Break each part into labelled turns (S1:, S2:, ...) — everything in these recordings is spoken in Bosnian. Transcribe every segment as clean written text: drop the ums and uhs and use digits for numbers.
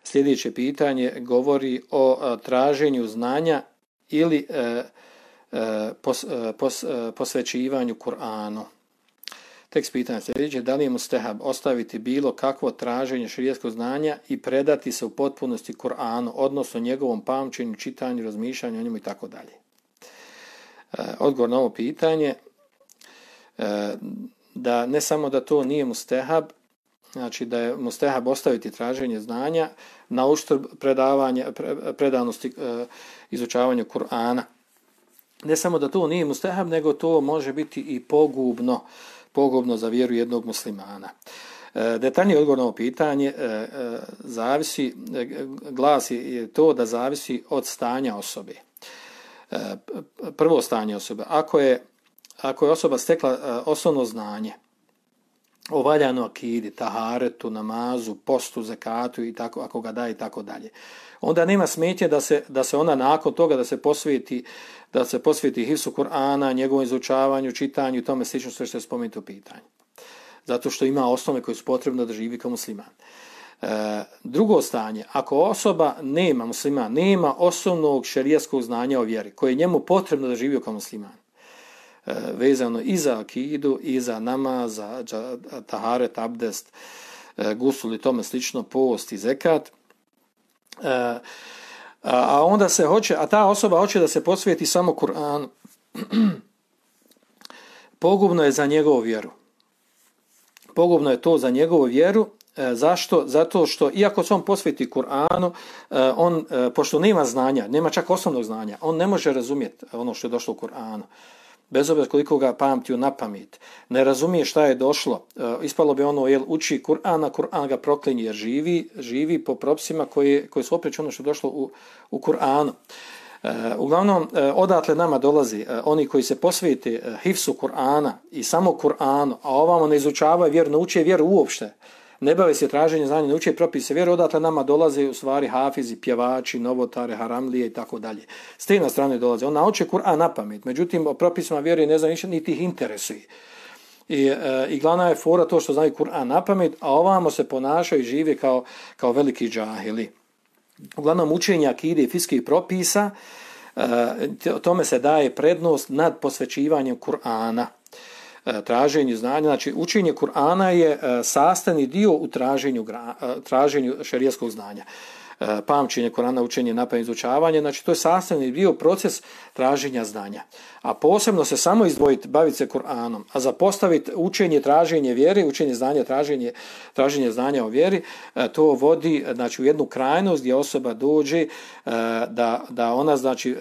S1: Sljedeće pitanje govori o traženju znanja ili posvećivanju Kur'anu. Tekst pitanja sljedeće: da li je mustehab ostaviti bilo kakvo traženje šerijatskog znanja i predati se u potpunosti Kur'anu, odnosno njegovom pamćenju, čitanju, razmišljanju o njemu i tako dalje? Odgovor na ovo pitanje da ne samo da to nije mustehab, znači da je mustehab ostaviti traženje znanja na uštrb predanosti izučavanju Kur'ana. Ne samo da to nije mustehab, nego to može biti i pogubno za vjeru jednog muslimana. Detaljniji odgovor na ovo pitanje glasi to da zavisi od stanja osobe. Prvo stanje osobe. Ako je osoba stekla osnovno znanje o valjanoj akidi, taharetu, namazu, postu, zekatu i tako, ako ga daje i tako dalje, onda nema smetnje da se ona nakon toga da se posveti hifzu Kur'ana, njegovom izučavanju, čitanju i tome slično, sve što je spomenuto u pitanju. Zato što ima osnove koje su potrebne da živi kao musliman. Drugo stanje, ako osoba nema osnovnog šerijatskog znanja o vjeri, koje je njemu potrebno da živi kao musliman, vezano i za akidu, i za namaz, za taharet, abdest, gusul i tome slično, post i zekat, a ta osoba hoće da se posveti samo Kur'anu, pogubno je za njegovu vjeru. Pogubno je to za njegovu vjeru. Zašto? Zato što iako se on posveti Kur'anu, on, pošto nema znanja, nema čak osnovnog znanja, on ne može razumjeti ono što je došlo u Kur'anu. Bez obzira koliko ga pamtio na pamet, ne razumije šta je došlo. Ispalo bi ono, uči Kur'an ga proklinje jer živi po propisima koji su opreći ono što je došlo u Kur'anu. Uglavnom, odatle nama dolazi oni koji se posvete hifsu Kur'ana i samo Kur'anu, a ovamo ne izučavaju vjeru, ne uče vjeru uopšte, ne bave se traženje znanja, ne uče propise vjeru, odatle nama dolaze u stvari hafizi, pjevači, novotare, haramlije i tako dalje. S te na strane dolaze. On nauče Kur'an na pamet, međutim o propisima vjere ne zna ništa, niti ih interesuje. I glavna je fora to što znaju Kur'an na pamet, a ovamo se ponašaju i žive kao veliki džahili. Uglavnom učenje akide i fiskih propisa, tome se daje prednost nad posvećivanjem Kur'ana. Traženju znanja, znači učenje Kur'ana je sastavni dio u traženju šerijatskog znanja. Pamćenje Kur'ana, učenje, napamet, izučavanje, znači to je sastavni dio proces traženja znanja. A posebno se samo izdvojiti, baviti se Kur'anom, a zapostaviti učenje, traženje vjere, učenje znanja, traženje znanja o vjeri, to vodi znači u jednu krajnost gdje osoba dođe da ona znači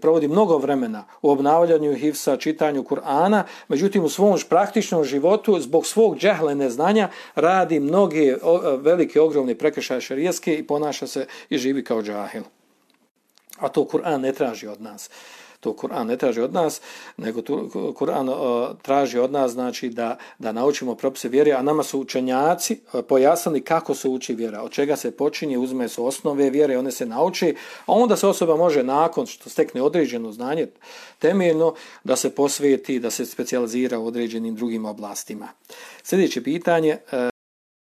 S1: provodi mnogo vremena u obnavljanju hifsa, čitanju Kur'ana, međutim u svom praktičnom životu zbog svog džehla neznanja radi mnoge velike ogromne prekršaje šerijatske i ponaša se i živi kao džahil. A to Kur'an ne traži od nas. To Kur'an ne traži od nas, nego Kur'an traži od nas znači da naučimo propise vjere, a nama su učenjaci pojasnili kako se uči vjera, od čega se počinje, uzme se osnove vjere, one se nauči, a onda se osoba može nakon što stekne određeno znanje temeljno da se posveti, da se specijalizira u određenim drugim oblastima. Sljedeće pitanje.